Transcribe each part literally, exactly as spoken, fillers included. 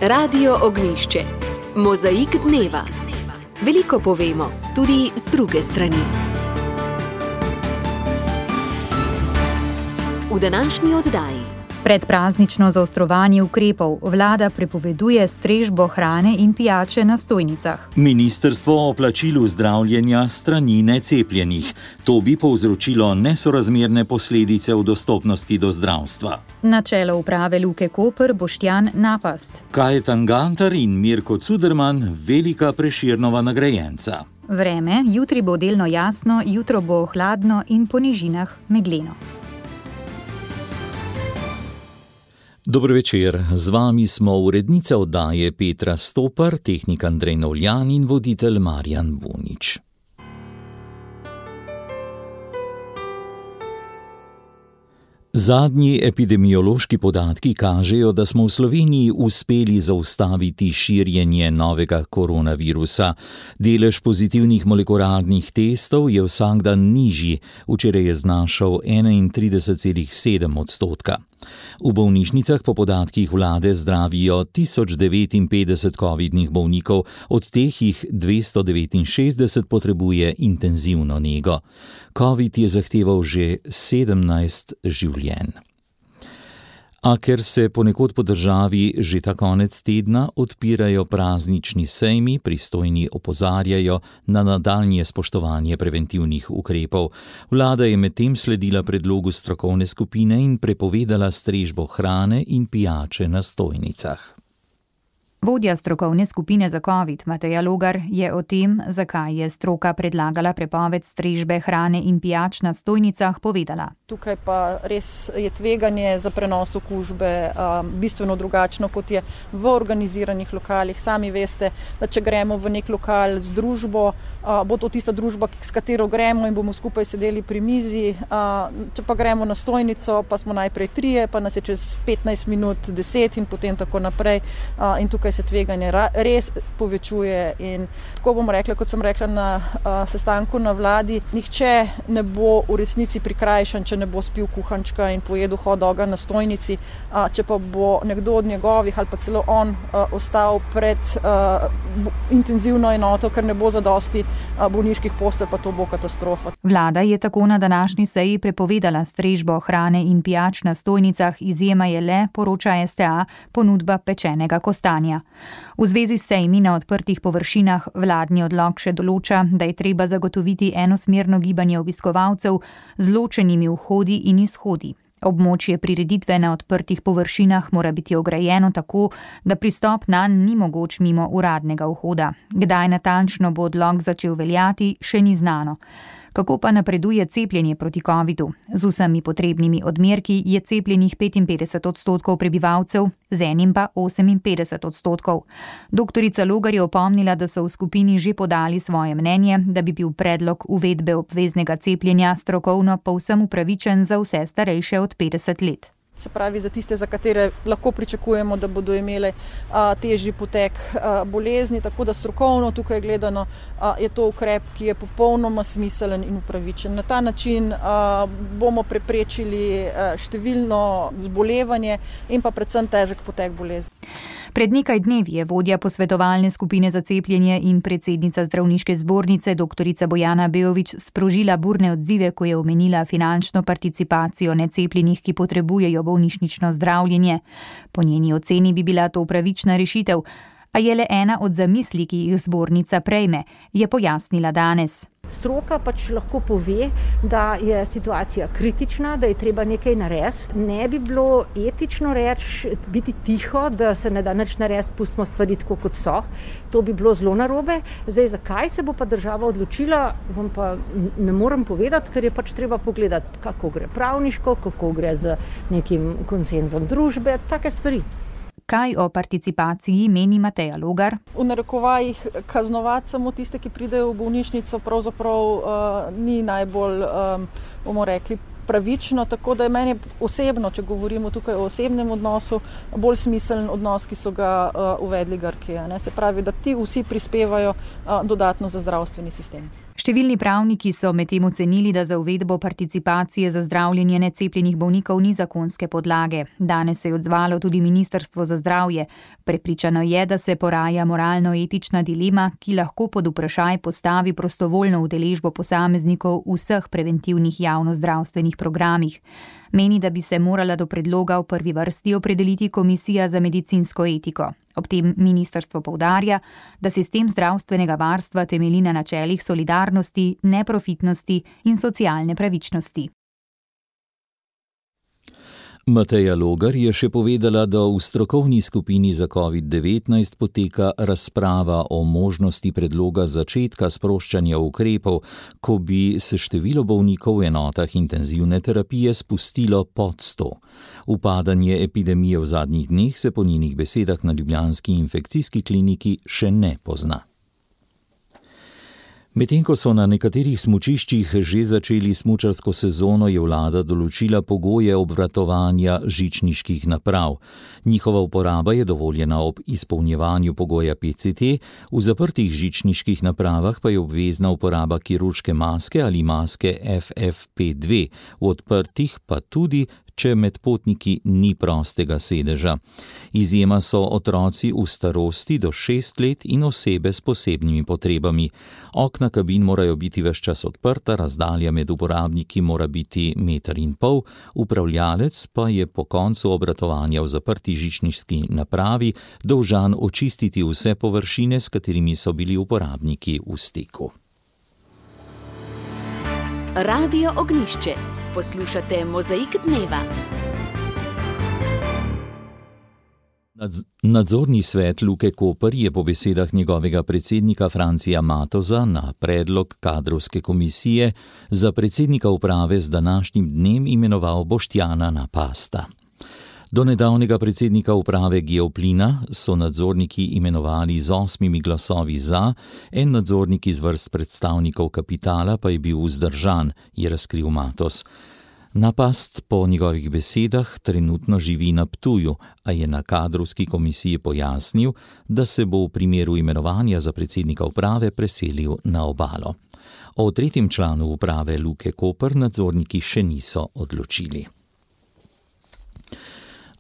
Radio Ognjišče. Mozaik dneva. Veliko povemo, tudi z druge strani. V današnji oddaji. Predpraznično zaostrovanje ukrepov. Vlada prepoveduje strežbo hrane in pijače na stojnicah. Ministrstvo o plačilu zdravljenja strani necepljenih. To bi povzročilo nesorazmerne posledice v dostopnosti do zdravstva. Na čelo uprave Luke Koper Boštjan Napast. Kajetan Gantar in Mirko Cuderman, velika Prešernova nagrajenca. Vreme, jutri bo delno jasno, jutro bo hladno in po nižinah megleno. Dobro večer, z vami smo urednica oddaje Petra Stopar, tehnik Andrej Novljan in voditelj Marjan Bunič. Zadnji epidemiološki podatki kažejo, da smo v Sloveniji uspeli zaustaviti širjenje novega koronavirusa. Delež pozitivnih molekularnih testov je vsak dan nižji, včeraj je znašal enaintrideset celih sedem odstotka. V bolnišnicah po podatkih vlade zdravijo tisoč devetinpetdeset covidnih bolnikov, od teh jih dvesto devetinšestdeset potrebuje intenzivno nego. Covid je zahteval že sedemnajst življenj. A ker se ponekod po državi že ta konec tedna odpirajo praznični sejmi, pristojni opozarjajo na nadaljnje spoštovanje preventivnih ukrepov. Vlada je medtem sledila predlogu strokovne skupine in prepovedala strežbo hrane in pijače na stojnicah. Vodja strokovne skupine za covid, Mateja Logar, je o tem, zakaj je stroka predlagala prepoved strežbe hrane in pijač na stojnicah, povedala. Tukaj pa res je tveganje za prenos okužbe um, bistveno drugačno, kot je v organiziranih lokalih. Sami veste, da če gremo v nek lokal z družbo, uh, bo to tista družba, s katero gremo in bomo skupaj sedeli pri mizi. Uh, če pa gremo na stojnico, pa smo najprej trije, pa nas je čez petnajst minut deset in potem tako naprej. Uh, in tukaj se tveganje res povečuje in tako bom rekla, kot sem rekla na uh, sestanku na vladi, nihče ne bo v resnici prikrajšan, če ne bo spil kuhančka in pojedel hot doga na stojnici, uh, če pa bo nekdo od njegovih ali pa celo on uh, ostal pred uh, intenzivno enoto, ker ne bo zadosti uh, bolniških postelj, pa to bo katastrofa. Vlada je tako na današnji seji prepovedala strežbo hrane in pijač na stojnicah, izjema je le, poroča S T A, ponudba pečenega kostanja. V zvezi s sejmi na odprtih površinah vladni odlok še določa, da je treba zagotoviti enosmerno gibanje obiskovalcev z ločenimi vhodi in izhodi. Območje prireditve na odprtih površinah mora biti ograjeno tako, da pristop nanj ni mogoč mimo uradnega vhoda. Kdaj natančno bo odlok začel veljati, še ni znano. Kako pa napreduje cepljenje proti covidu? Z vsemi potrebnimi odmerki je cepljenih petinpetdeset odstotkov prebivalcev, z enim pa oseminpetdeset odstotkov. Doktorica Logar je opomnila, da so v skupini že podali svoje mnenje, da bi bil predlog uvedbe obveznega cepljenja strokovno povsem upravičen za vse starejše od petdeset let. Se pravi za tiste, za katere lahko pričakujemo, da bodo imele a, težji potek a, bolezni, tako da strokovno tukaj gledano a, je to ukrep, ki je popolnoma smiselen in upravičen. Na ta način a, bomo preprečili a, številno zbolevanje in pa predvsem težek potek bolezni. Pred nekaj dnevi je vodja posvetovalne skupine za cepljenje in predsednica zdravniške zbornice doktorica Bojana Beović sprožila burne odzive, ko je omenila finančno participacijo necepljenih, ki potrebujejo bolnišnično zdravljenje. Po njeni oceni bi bila to pravična rešitev, a je le ena od zamisli, ki jih zbornica prejme, je pojasnila danes. Stroka pač lahko pove, da je situacija kritična, da je treba nekaj narediti. Ne bi bilo etično reči, biti tiho, da se ne da nič narediti, pustimo stvari tako, kot so. To bi bilo zelo narobe. Zdaj, zakaj se bo pa država odločila, vam pa ne morem povedati, ker je pač treba pogledati, kako gre pravniško, kako gre z nekim konsenzom družbe, take stvari. Kaj o participaciji meni Mateja Logar? V narekovajih kaznovati samo tiste, ki pridejo v bolnišnico, pravzaprav uh, ni najbolj, um, bomo rekli, pravično, tako da je meni osebno, če govorimo tukaj o osebnem odnosu, bolj smiseln odnos, ki so ga uh, uvedli Grki. Se pravi, da ti vsi prispevajo uh, dodatno za zdravstveni sistem. Številni pravniki so medtem ocenili, da za uvedbo participacije za zdravljenje necepljenih bolnikov ni zakonske podlage. Danes se je odzvalo tudi Ministrstvo za zdravje. Prepričano je, da se poraja moralno-etična dilema, ki lahko pod vprašaj postavi prostovoljno udeležbo posameznikov v vseh preventivnih javnozdravstvenih programih. Meni, da bi se morala do predloga v prvi vrsti opredeliti Komisija za medicinsko etiko. Ob tem ministrstvo poudarja, da sistem zdravstvenega varstva temelji na načelih solidarnosti, neprofitnosti in socialne pravičnosti. Mateja Logar je še povedala, da v strokovni skupini za covid devetnajst poteka razprava o možnosti predloga začetka sproščanja ukrepov, ko bi se število bolnikov v enotah intenzivne terapije spustilo pod sto. Upadanje epidemije v zadnjih dneh se po njenih besedah na ljubljanski infekcijski kliniki še ne pozna. Medtem ko so na nekaterih smučiščih že začeli smučarsko sezono, je vlada določila pogoje obratovanja žičniških naprav. Njihova uporaba je dovoljena ob izpolnjevanju pogoja P C T, v zaprtih žičniških napravah pa je obvezna uporaba kirurške maske ali maske F F P dve, v odprtih pa tudi, če med potniki ni prostega sedeža. Izjema so otroci v starosti do šest let in osebe s posebnimi potrebami. Okna kabin morajo biti ves čas odprta, razdalja med uporabniki mora biti meter in pol, upravljalec pa je po koncu obratovanja v zaprti žičniški napravi dolžan očistiti vse površine, s katerimi so bili uporabniki v stiku. Radio Ognjišče. Poslušate Mozaik dneva. Nadzorni svet Luke Koper je po besedah njegovega predsednika Francija Matoza na predlog kadrovske komisije za predsednika uprave z današnjim dnem imenoval Boštjana Napasta. Do nedavnega predsednika uprave Geoplina so nadzorniki imenovali z osmimi glasovi za, en nadzornik iz vrst predstavnikov kapitala pa je bil vzdržan, je razkril Matoz. Napast po njegovih besedah trenutno živi na Ptuju, a je na kadrovski komisiji pojasnil, da se bo v primeru imenovanja za predsednika uprave preselil na Obalo. O tretjem članu uprave Luke Koper nadzorniki še niso odločili.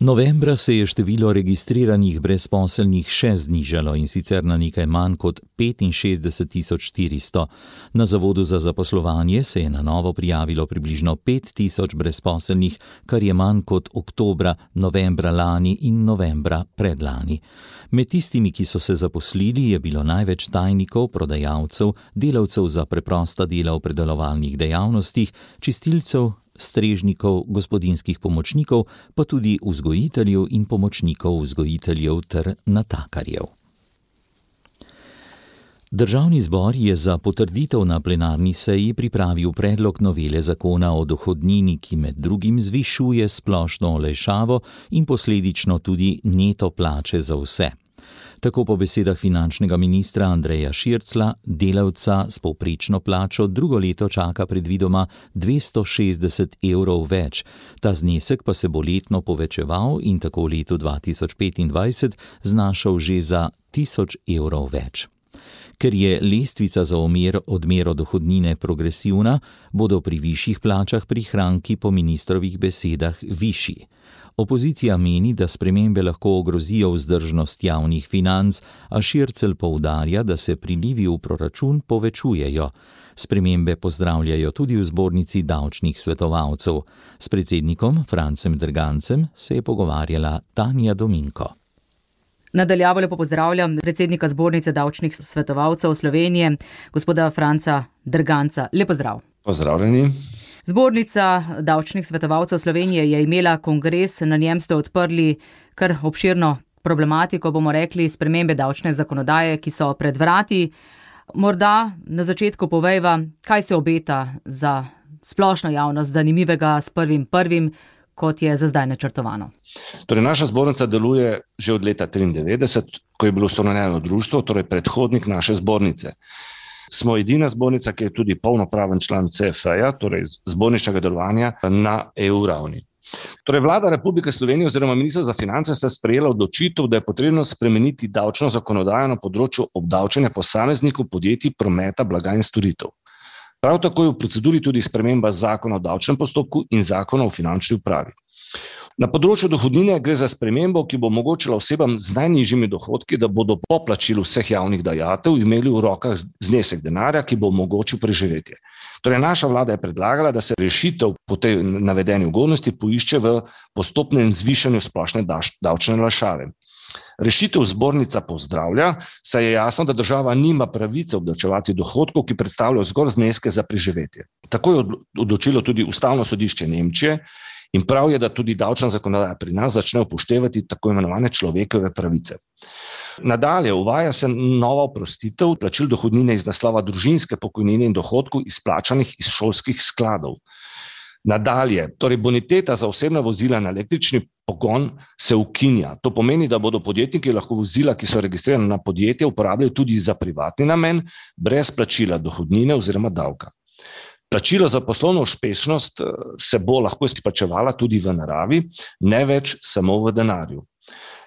Novembra se je število registriranih brezposelnih še znižalo, in sicer na nekaj manj kot petinšestdeset tisoč štiristo. Na Zavodu za zaposlovanje se je na novo prijavilo približno pet tisoč brezposelnih, kar je manj kot oktobra, novembra lani in novembra predlani. Med tistimi, ki so se zaposlili, je bilo največ tajnikov, prodajalcev, delavcev za preprosta dela v predelovalnih dejavnostih, čistilcev, strežnikov, gospodinjskih pomočnikov, pa tudi vzgojiteljev in pomočnikov vzgojiteljev ter natakarjev. Državni zbor je za potrditev na plenarni seji pripravil predlog novele zakona o dohodnini, ki med drugim zvišuje splošno olajšavo in posledično tudi neto plače za vse. Tako po besedah finančnega ministra Andreja Šircla delavca s povprečno plačo drugo leto čaka predvidoma dvesto šestdeset evrov več. Ta znesek pa se bo letno povečeval in tako v letu dva tisoč petindvajset znašal že za tisoč evrov več. Ker je lestvica za omer, odmero dohodnine progresivna, bodo pri višjih plačah prihranki po ministrovih besedah višji. Opozicija meni, da spremembe lahko ogrozijo vzdržnost javnih financ, a Šircelj poudarja, da se prilivi v proračun povečujejo. Spremembe pozdravljajo tudi v zbornici davčnih svetovalcev. S predsednikom Francem Drgancem se je pogovarjala Tanja Dominko. Nadaljavo lepo pozdravljam predsednika zbornice davčnih svetovalcev Slovenije, gospoda Franca Drganca. Lepo zdrav. Pozdravljeni. Zbornica davčnih svetovalcev Slovenije je imela kongres, na njem ste odprli kar obširno problematiko, bomo rekli, spremembe davčne zakonodaje, ki so pred vrati. Morda na začetku povejva, kaj se obeta za splošno javnost zanimivega s prvim prvim, kot je za zdaj načrtovano. Torej, naša zbornica deluje že od leta triindevetdeset, ko je bilo ustanovljeno društvo, torej predhodnik naše zbornice. Smo edina zbornica, ki je tudi polnopraven član C F E-ja, torej zborničnega delovanja na E U ravni. Torej, Vlada Republike Slovenije oziroma Ministrstvo za finance sta sprejela odločitev, da je potrebno spremeniti davčno zakonodajo na področju obdavčenja posameznikov, podjetij, prometa, blaga in storitev. Prav tako je v proceduri tudi sprememba zakona o davčnem postopku in zakona o finančni upravi. Na področju dohodnine gre za spremembo, ki bo omogočila osebam z najnižjimi dohodki, da bodo po plačilu vseh javnih dajatev imeli v rokah znesek denarja, ki bo omogočil preživetje. Torej, naša vlada je predlagala, da se rešitev po tej navedeni ugodnosti poišče v postopnem zvišanju splošne davčne olajšave. Rešitev zbornica pozdravlja, saj je jasno, da država nima pravice obdavčevati dohodkov, ki predstavljajo zgolj zneske za preživetje. Tako je odločilo tudi Ustavno sodišče Nemčije in prav je, da tudi davčna zakonodaja pri nas začne upoštevati tako imenovane človekove pravice. Nadalje, uvaja se nova oprostitev plačil dohodnine iz naslova družinske pokojnine in dohodkov izplačanih iz šolskih skladov. Nadalje, torej boniteta za osebna vozila na električni pogon se ukinja. To pomeni, da bodo podjetniki lahko vozila, ki so registrirane na podjetje, uporabljali tudi za privatni namen, brez plačila dohodnine oziroma davka. Plačilo za poslovno uspešnost se bo lahko izplačevala tudi v naravi, ne več samo v denarju.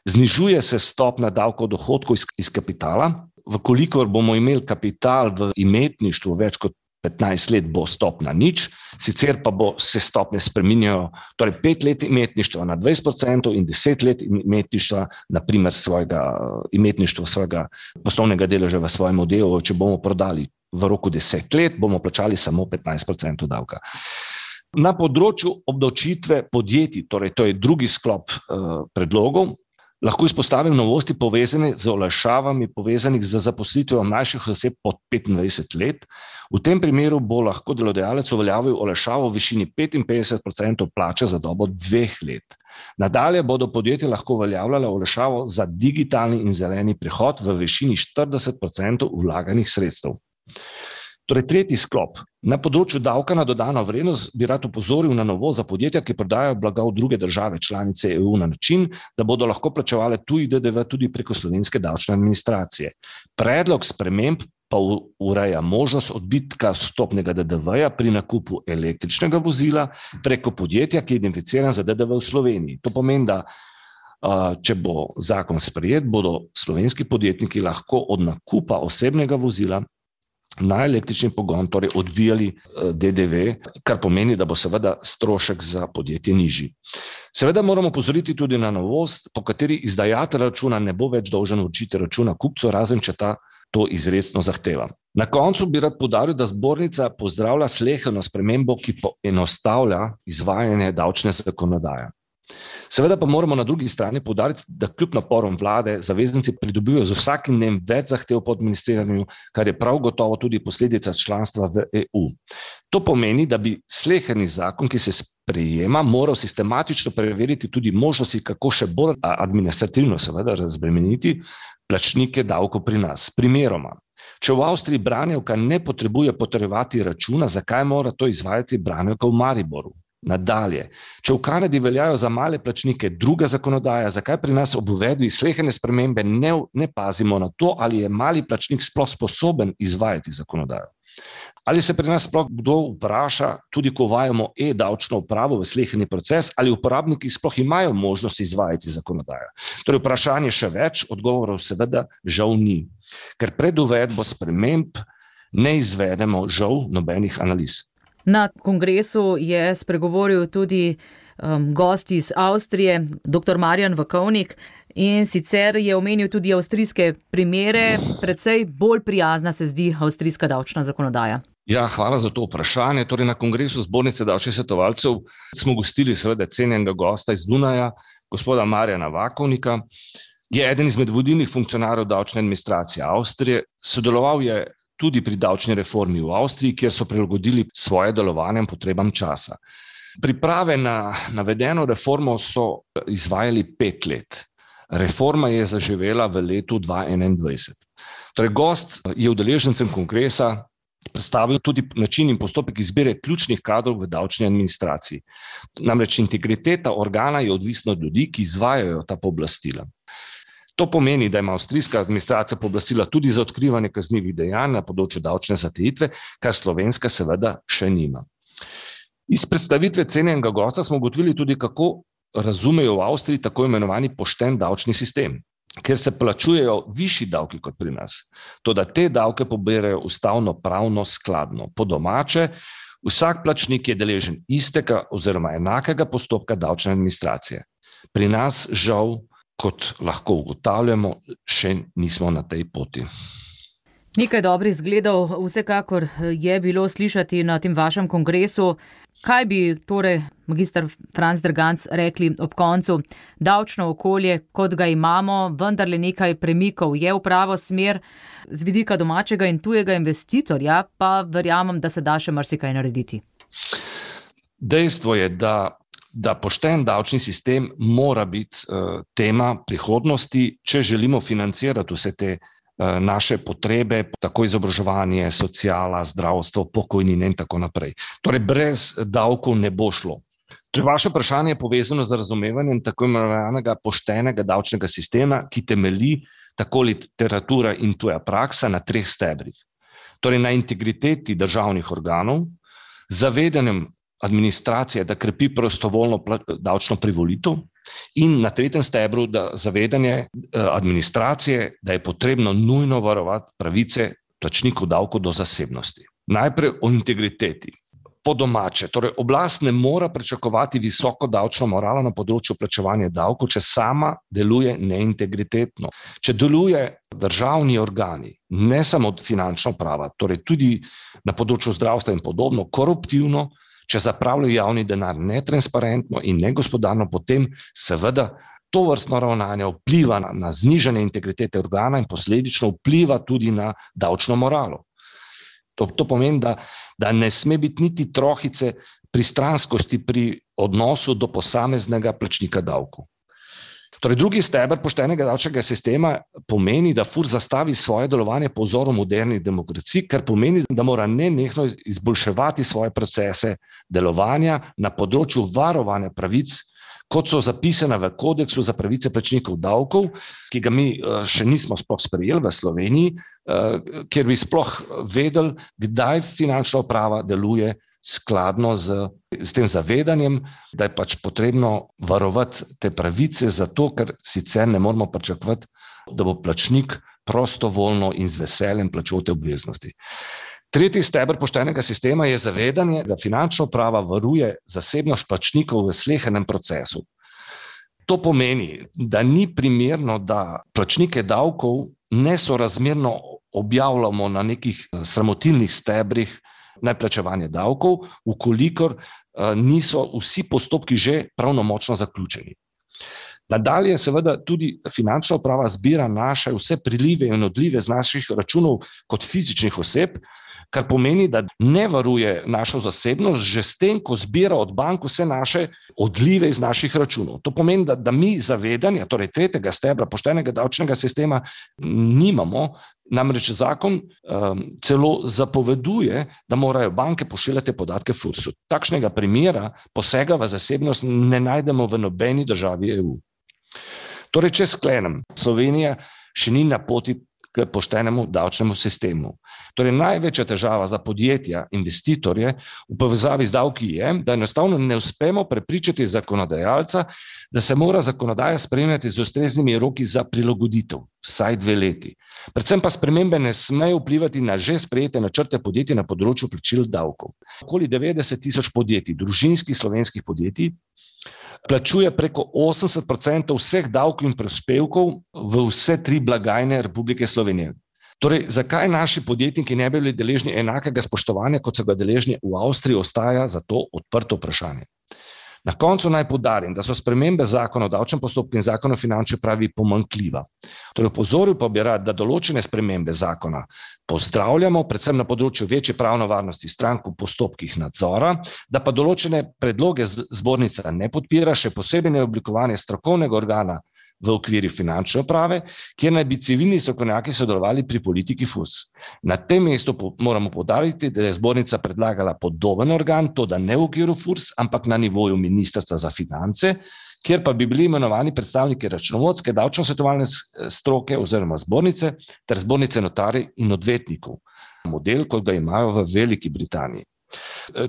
Znižuje se stopnja davka od dohodkov iz, iz kapitala. Vkolikor bomo imeli kapital v imetništvu več kot petnajst let, bo stopnja nič, sicer pa bo se stopnje spreminjajo, torej pet let imetništva na dvajset procentov in deset let imetništva, naprimer svojega imetništva, svojega poslovnega deleža v svojem delu, če bomo prodali v roku deset let, bomo plačali samo petnajst procentov davka. Na področju obdavčitve podjetij, torej to je drugi sklop uh, predlogov, lahko izpostavim novosti povezane z olajšavami povezanih z zaposlitvijo mlajših oseb pod petindvajset let. V tem primeru bo lahko delodajalec uveljavil olajšavo v višini petinpetdeset procentov plače za dobo dveh let. Nadalje bodo podjetja lahko uveljavljala olajšavo za digitalni in zeleni prehod v višini štirideset procentov vlaganih sredstev. Torej, tretji sklop. Na področju davka na dodano vrednost bi rad opozoril na novost za podjetja, ki prodajajo blaga v druge države članice E U na način, da bodo lahko plačevale tuji D D V tudi preko slovenske davčne administracije. Predlog sprememb pa ureja možnost odbitka vstopnega D D V-ja pri nakupu električnega vozila preko podjetja, ki je identificiran za D D V v Sloveniji. To pomeni, da če bo zakon sprejet, bodo slovenski podjetniki lahko od nakupa osebnega vozila na električni pogon torej odbijali D D V, kar pomeni, da bo seveda strošek za podjetje nižji. Seveda moramo opozoriti tudi na novost, po kateri izdajatelj računa ne bo več dolžan vročiti računa kupcu, razen če ta to izrecno zahteva. Na koncu bi rad poudaril, da zbornica pozdravlja sleherno spremembo, ki poenostavlja izvajanje davčne zakonodaje. Seveda pa moramo na drugi strani poudariti, da kljub naporom vlade zavezanci pridobivajo z vsakim dnem več zahtev po administriranju, kar je prav gotovo tudi posledica članstva v E U. To pomeni, da bi sleherni zakon, ki se sprejema, moral sistematično preveriti tudi možnosti, kako še bolj administrativno seveda razbremeniti plačnike davkov pri nas. Primeroma, če v Avstriji branjevka ne potrebuje potrjevati računa, zakaj mora to izvajati branjevka v Mariboru? Nadalje, če v Kanadi veljajo za male plačnike druga zakonodaja, zakaj pri nas ob uvedbi sleherne spremembe ne, ne pazimo na to, ali je mali plačnik sploh sposoben izvajati zakonodajo? Ali se pri nas sploh kdo vpraša, tudi ko uvajamo e-davčno upravo v sleherni proces, ali uporabniki sploh imajo možnost izvajati zakonodajo? Torej vprašanje še več, odgovorov seveda žal ni, ker pred uvedbo sprememb ne izvedemo žal nobenih analiz. Na kongresu je spregovoril tudi um, gost iz Avstrije, doktor Marjan Vakovnik, in sicer je omenil tudi avstrijske primere, precej bolj prijazna se zdi avstrijska davčna zakonodaja. Ja, hvala za to vprašanje. Torej, na kongresu Zbornice davčnih svetovalcev smo gostili seveda cenjenega gosta iz Dunaja, gospoda Marjana Vakovnika. Je eden izmed vodilnih funkcionarjev davčne administracije Avstrije, sodeloval je tudi pri davčni reformi v Avstriji, kjer so prilagodili svoje delovanje potrebam časa. Priprave na navedeno reformo so izvajali pet let. Reforma je zaživela v letu dva tisoč enaindvajset. Torej, gost je udeležencem kongresa predstavil tudi način in postopek izbire ključnih kadrov v davčni administraciji. Namreč integriteta organa je odvisna od ljudi, ki izvajajo ta pooblastila. To pomeni, da ima avstrijska administracija pooblastila tudi za odkrivanje kaznivih dejanj na področju davčne zatajitve, kar slovenska seveda še nima. Iz predstavitve cenjenega gosta smo ugotovili tudi, kako razumejo v Avstriji tako imenovani pošten davčni sistem. ker se plačujejo višji davki kot pri nas. Toda te davke poberajo ustavno pravno skladno. Po domače, vsak plačnik je deležen istega oziroma enakega postopka davčne administracije. Pri nas žal, kot lahko ugotavljamo, še nismo na tej poti. Nekaj dobrih zgledov vsekakor je bilo slišati na tem vašem kongresu. Kaj bi torej, magister Franc Derganc, rekli ob koncu? Davčno okolje, kot ga imamo, vendarle nekaj premikov je v pravo smer, z vidika domačega in tujega investitorja, pa verjamem, da se da še marsikaj narediti. Dejstvo je, da, da pošten davčni sistem mora biti uh, tema prihodnosti, če želimo financirati vse te naše potrebe, tako izobraževanje, sociala, zdravstvo, pokojnine in tako naprej. Torej, brez davkov ne bo šlo. Torej, vaše vprašanje je povezano z razumevanjem tako imenovanega poštenega davčnega sistema, ki temelji, tako literatura in tuja praksa, na treh stebrih. Torej, na integriteti državnih organov, zavedanjem administracije, da krepi prostovoljno davčno privolitev, in na tretjem stebru, da zavedanje administracije, da je potrebno nujno varovati pravice plačnikov davkov do zasebnosti. Najprej o integriteti. Po domače, torej oblast ne mora pričakovati visoko davčno moralo na področju plačevanja davkov, če sama deluje neintegritetno. Če deluje državni organi, ne samo finančna uprava, torej tudi na področju zdravstva in podobno, koruptivno, če zapravljajo javni denar netransparentno in negospodarno, potem seveda to vrstno ravnanje vpliva na, na znižanje integritete organa in posledično vpliva tudi na davčno moralo. To, to pomeni, da, da ne sme biti niti trohice pristranskosti pri odnosu do posameznega plačnika davkov. Torej, drugi steber poštenega davčnega sistema pomeni, da Furs zastavi svoje delovanje po vzoru modernih demokracij, kar pomeni, da mora nenehno izboljševati svoje procese delovanja na področju varovanja pravic, kot so zapisane v kodeksu za pravice plačnikov davkov, ki ga mi še nismo sploh sprejeli v Sloveniji, kjer bi sploh vedeli, kdaj finančna uprava deluje skladno z, z tem zavedanjem, da je pač potrebno varovati te pravice, zato ker sicer ne moramo pričakovati, da bo plačnik prostovoljno in z veseljem plačeval te obveznosti. Tretji steber poštenega sistema je zavedanje, da finančna uprava varuje zasebnost plačnikov v slehernem procesu. To pomeni, da ni primerno, da plačnike davkov nesorazmerno objavljamo na nekih sramotilnih stebrih neplačevanje davkov, ukolikor niso vsi postopki že pravnomočno zaključeni. Nadalje seveda tudi finančna uprava zbira naše vse prilive in odlive z naših računov kot fizičnih oseb, kar pomeni, da ne varuje našo zasebnost že s tem, ko zbira od bank vse naše odlive iz naših računov. To pomeni, da, da mi zavedanja, torej tretjega stebra poštenega davčnega sistema nimamo, namreč zakon um, celo zapoveduje, da morajo banke pošiljati podatke Fursu. Takšnega primera posega v zasebnost ne najdemo v nobeni državi E U. Torej, če sklenem, Slovenija še ni na poti k poštenemu davčnemu sistemu. Torej, največja težava za podjetja, investitorje v povezavi z davki je, da enostavno ne uspemo prepričati zakonodajalca, da se mora zakonodaja spremljati z ustreznimi roki za prilagoditev, vsaj dve leti. Predvsem pa spremembe ne smejo vplivati na že sprejete načrte podjetij na področju plačil davkov. Okoli devetdeset tisoč podjetij, družinskih slovenskih podjetij, plačuje preko osemdeset procentov vseh davkov in prispevkov v vse tri blagajne Republike Slovenije. Torej, zakaj naši podjetniki ne bi bili deležni enakega spoštovanja, kot so ga deležni v Avstriji, ostaja zato odprto vprašanje. Na koncu naj poudarim, da so spremembe zakona o davčnem postopku in zakona o finančni upravi pomanjkljiva. Torej, opozoril pa bi rad, da določene spremembe zakona pozdravljamo, predvsem na področju večje pravne varnosti strank v postopkih nadzora, da pa določene predloge zbornica ne podpira, še posebej neoblikovanje strokovnega organa v okviru finančne uprave, kjer naj bi civilni strokovnjaki sodelovali pri politiki Furs. Na tem mestu moramo poudariti, da je zbornica predlagala podoben organ, to da ne v okviru Furs, ampak na nivoju Ministrstva za finance, kjer pa bi bili imenovani predstavniki računovodske, davčno-svetovalne stroke oziroma zbornice ter zbornice notarjev in odvetnikov. Model, kot ga imajo v Veliki Britaniji.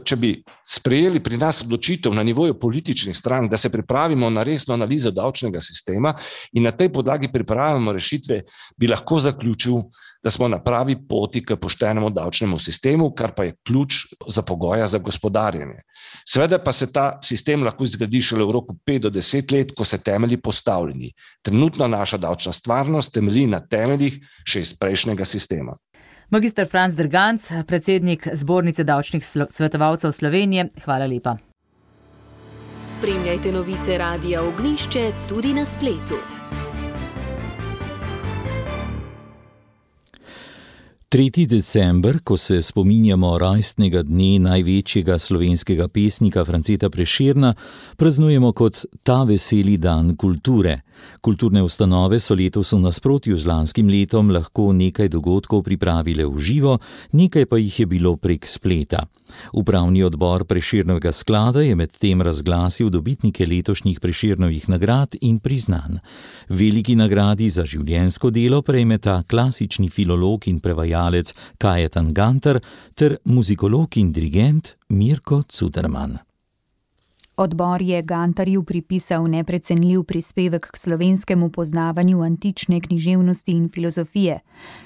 Če bi sprejeli pri nas odločitev na nivoju političnih strank, da se pripravimo na resno analizo davčnega sistema in na tej podlagi pripravimo rešitve, bi lahko zaključil, da smo na pravi poti k poštenemu davčnemu sistemu, kar pa je ključ za pogoja za gospodarjenje. Seveda pa se ta sistem lahko zgradi šele v roku pet do deset let, ko se temelji postavljeni. Trenutno naša davčna stvarnost temelji na temeljih še iz prejšnjega sistema. Magister Franc Derganc, predsednik Zbornice davčnih svetovalcev Slovenije, hvala lepa. Spremljajte novice Radia Ognjišče tudi na spletu. tretji december, ko se spominjamo rojstnega dne največjega slovenskega pesnika Franceta Prešerna, praznujemo kot ta veseli dan kulture. Kulturne ustanove so letos v nasprotju z lanskim letom lahko nekaj dogodkov pripravile v živo, nekaj pa jih je bilo prek spleta. Upravni odbor Prešernovega sklada je medtem razglasil dobitnike letošnjih Prešernovih nagrad in priznanj. Veliki nagradi za življenjsko delo prejmeta klasični filolog in prevajalec Kajetan Gantar ter muzikolog in dirigent Mirko Cuderman. Odbor je Gantarju pripisal neprecenljiv prispevek k slovenskemu poznavanju antične književnosti in filozofije.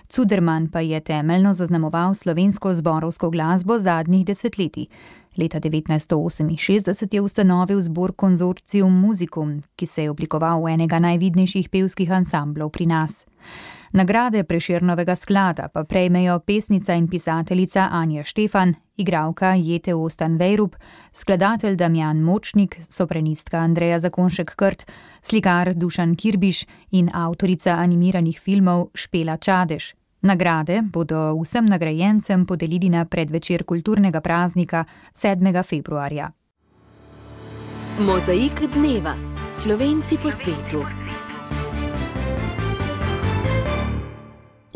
Cuderman pa je temeljno zaznamoval slovensko zborovsko glasbo zadnjih desetletij. Leta devetnajststo oseminšestdeset je ustanovil zbor Consortium Musicum, ki se je oblikoval v enega najvidnejših pevskih ansamblov pri nas. Nagrade Prešernovega sklada pa prejmejo pesnica in pisateljica Anja Štefan, igralka Jete Ostan-Vejrup, skladatelj Damjan Močnik, sopranistka Andreja Zakonšek-Krt, slikar Dušan Kirbiš in avtorica animiranih filmov Špela Čadež. Nagrade bodo vsem nagrajencem podelili na predvečer kulturnega praznika sedmega februarja. Mozaik dneva. Slovenci po svetu.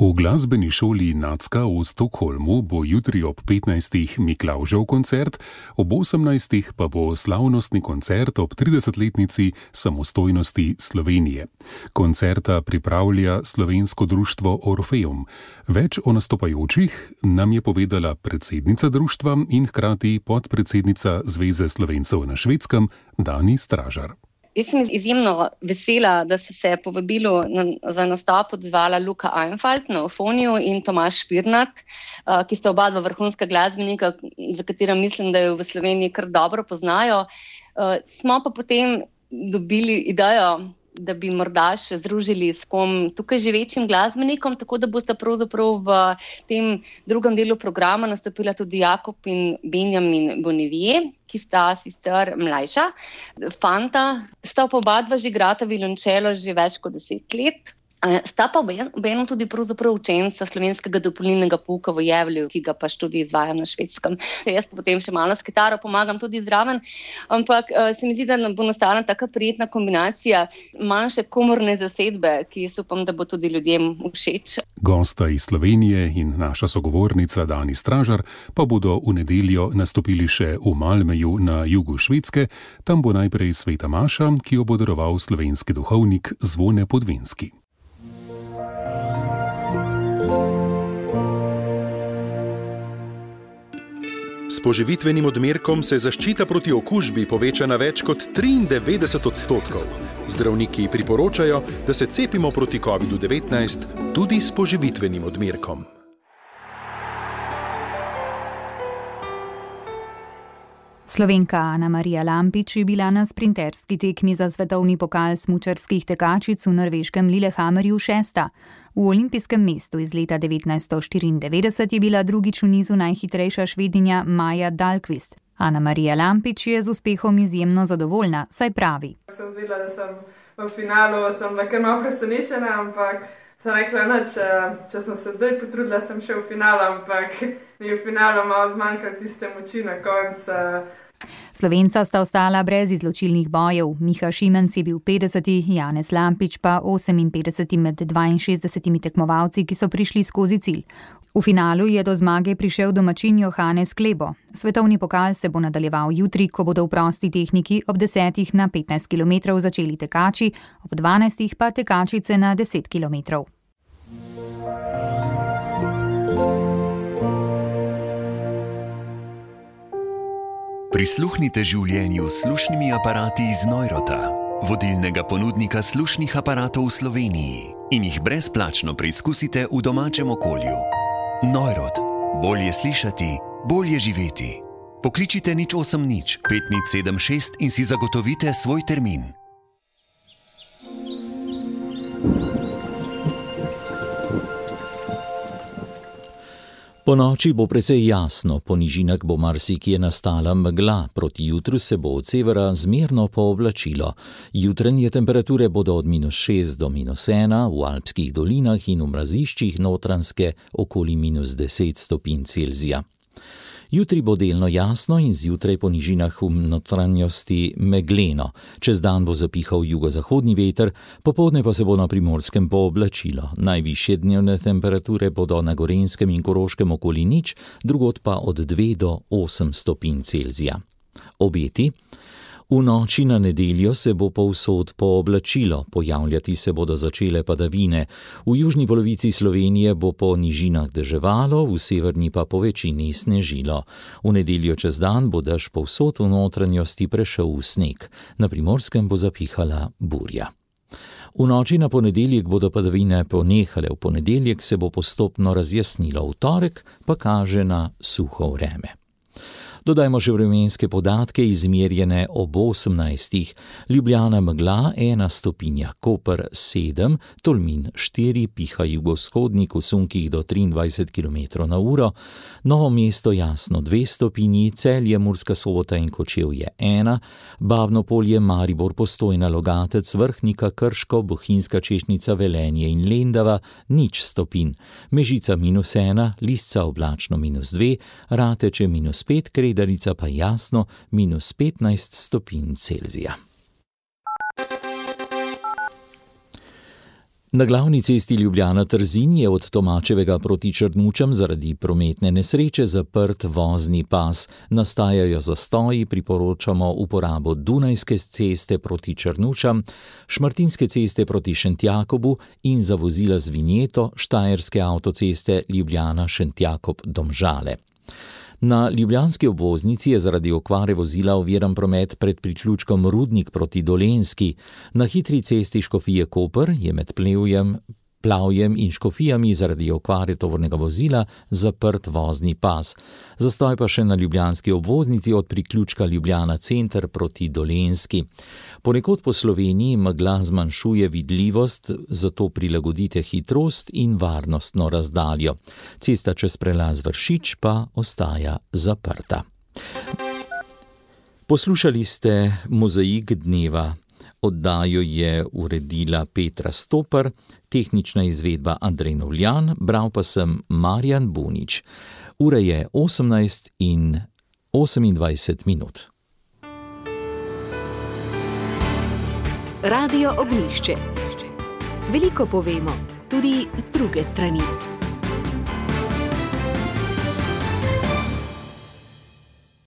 V glasbeni šoli Nacka v Stockholmu bo jutri ob petnajstih Miklavžev koncert, ob osemnajstih pa bo slavnostni koncert ob tridesetletnici samostojnosti Slovenije. Koncerta pripravlja Slovensko društvo Orfeum. Več o nastopajočih nam je povedala predsednica društva in hkrati podpredsednica Zveze Slovencev na Švedskem Dani Stražar. Jaz sem izjemno vesela, da so se povabilu na, za nastop odzvala Luka Einfalt na Ofoniju in Tomaž Špirnat, ki sta oba dva vrhunska glasbenika, za katera mislim, da jo v Sloveniji kar dobro poznajo. Smo pa potem dobili idejo, da bi morda še združili s kom tukaj živečim glasbenikom, tako da bosta pravzaprav v tem drugem delu programa nastopila tudi Jakob in Benjamin Bonivier, ki sta sicer mlajša fanta. Sta pa oba dva že igrata violončelo že več kot deset let. Sta pa obenem tudi pravzaprav učenca slovenskega dopolnilnega pouka v Jevlju, ki ga pač tudi izvajam na Švedskem. Jaz potem še malo s kitaro pomagam tudi zraven, ampak se mi zdi, da bo nastala taka prijetna kombinacija manjše komorne zasedbe, ki jaz upam, da bo tudi ljudem všeč. Gosta iz Slovenije in naša sogovornica Dani Stražar pa bodo v nedeljo nastopili še v Malmeju na jugu Švedske. Tam bo najprej Sveta Maša, ki jo bo daroval slovenski duhovnik Zvone Podvinski. S poživitvenim odmerkom se zaščita proti okužbi poveča na več kot triindevetdeset odstotkov. Zdravniki priporočajo, da se cepimo proti kovidu devetnajst tudi s poživitvenim odmerkom. Slovenka Ana Marija Lampič je bila na sprinterski tekmi za svetovni pokal smučarskih tekačic v norveškem Lillehammerju šesta. V olimpijskem mestu iz leta devetnajststo štiriindevetdeset je bila drugič v nizu najhitrejša Švedinja Maja Dahlqvist. Ana Marija Lampič je z uspehom izjemno zadovoljna, saj pravi. Sem zvedela, da sem v finalu, sem bila kar malo presenečena, ampak sem rekla, da če, če sem se zdaj potrudila, sem še v finalu, ampak mi je v finalu malo zmanjkalo tiste moči na koncu. Slovenca sta ostala brez izločilnih bojev. Miha Šimenc je bil petdeseti, Janez Lampič pa oseminpetdeseti med dvainšestdesetimi tekmovalci, ki so prišli skozi cilj. V finalu je do zmage prišel domačin Johannes Klebo. Svetovni pokal se bo nadaljeval jutri, ko bodo v prosti tehniki ob desetih na petnajst kilometrov začeli tekači, ob dvanajstih pa tekačice na deset kilometrov. Prisluhnite življenju s slušnimi aparati iz Neurota, vodilnega ponudnika slušnih aparatov v Sloveniji, in jih brezplačno preizkusite v domačem okolju. Neurot. Bolje slišati, bolje živeti. Pokličite nič osem nič pet nič sedem šest in si zagotovite svoj termin. Po noči bo precej jasno, po nižinah bo marsikje nastala megla, proti jutru se bo od severa zmerno pooblačilo. Jutranje temperature bodo od minus šest do minus ena, v alpskih dolinah in v mraziščih Notranjske okoli minus deset stopinj Celzija. Jutri bo delno jasno in zjutraj po nižinah v notranjosti megleno. Čez dan bo zapihal jugozahodni veter, popoldne pa se bo na Primorskem pooblačilo. Najvišje dnevne temperature bodo na Gorenjskem in Koroškem okoli nič, drugod pa od dve do osem stopinj Celzija. Obeti. V noči na nedeljo se bo povsod pooblačilo, pojavljati se bodo začele padavine. V južni polovici Slovenije bo po nižinah deževalo, v severni pa po večini snežilo. V nedeljo čez dan bo dež povsod v notranjosti prešel v sneg. Na Primorskem bo zapihala burja. V noči na ponedeljek bodo padavine ponehale, v ponedeljek se bo postopno razjasnilo, v torek pa kaže na suho vreme. Dodajmo še vremenske podatke, izmerjene ob osemnajstih. Ljubljana megla ena stopinja, Koper sedem, Tolmin štiri, piha jugovzhodnik v sunkih do triindvajset kilometrov na uro, Novo mesto jasno dve stopinji, Celje, Murska Sobota in Kočevje ena, Babno Polje, Maribor, Postojna, Logatec, Vrhnika, Krško, Bohinjska Češnica, Velenje in Lendava nič stopinj, Mežica minus ena, Lisca oblačno minus dve, Rateče minus pet, Darica pa jasno, minus petnajst stopinj Celzija. Na glavni cesti Ljubljana-Trzin je od Tomačevega proti Črnučam zaradi prometne nesreče zaprt vozni pas. Nastajajo zastoji, priporočamo uporabo Dunajske ceste proti Črnučam, Šmartinske ceste proti Šentjakobu in za vozila z vinjeto Štajerske avtoceste Ljubljana-Šentjakob-Domžale. Na ljubljanski obvoznici je zaradi okvare vozila oviran promet pred priključkom Rudnik proti Dolenjski. Na hitri cesti Škofije-Koper je med Plevjem, Plavjem in Škofijami zaradi okvare tovornega vozila zaprt vozni pas. Zastoj pa še na ljubljanski obvoznici od priključka Ljubljana center proti Dolenjski. Ponekod po Sloveniji megla zmanjšuje vidljivost, zato prilagodite hitrost in varnostno razdaljo. Cesta čez prelaz Vršič pa ostaja zaprta. Poslušali ste Mozaik dneva. Oddajo je uredila Petra Stopar, tehnična izvedba Andrej Novljan, bral pa sem Marjan Bunič. Ura je osemnajst in osemindvajset minut. Radio Ognjišče. Veliko povemo, tudi z druge strani.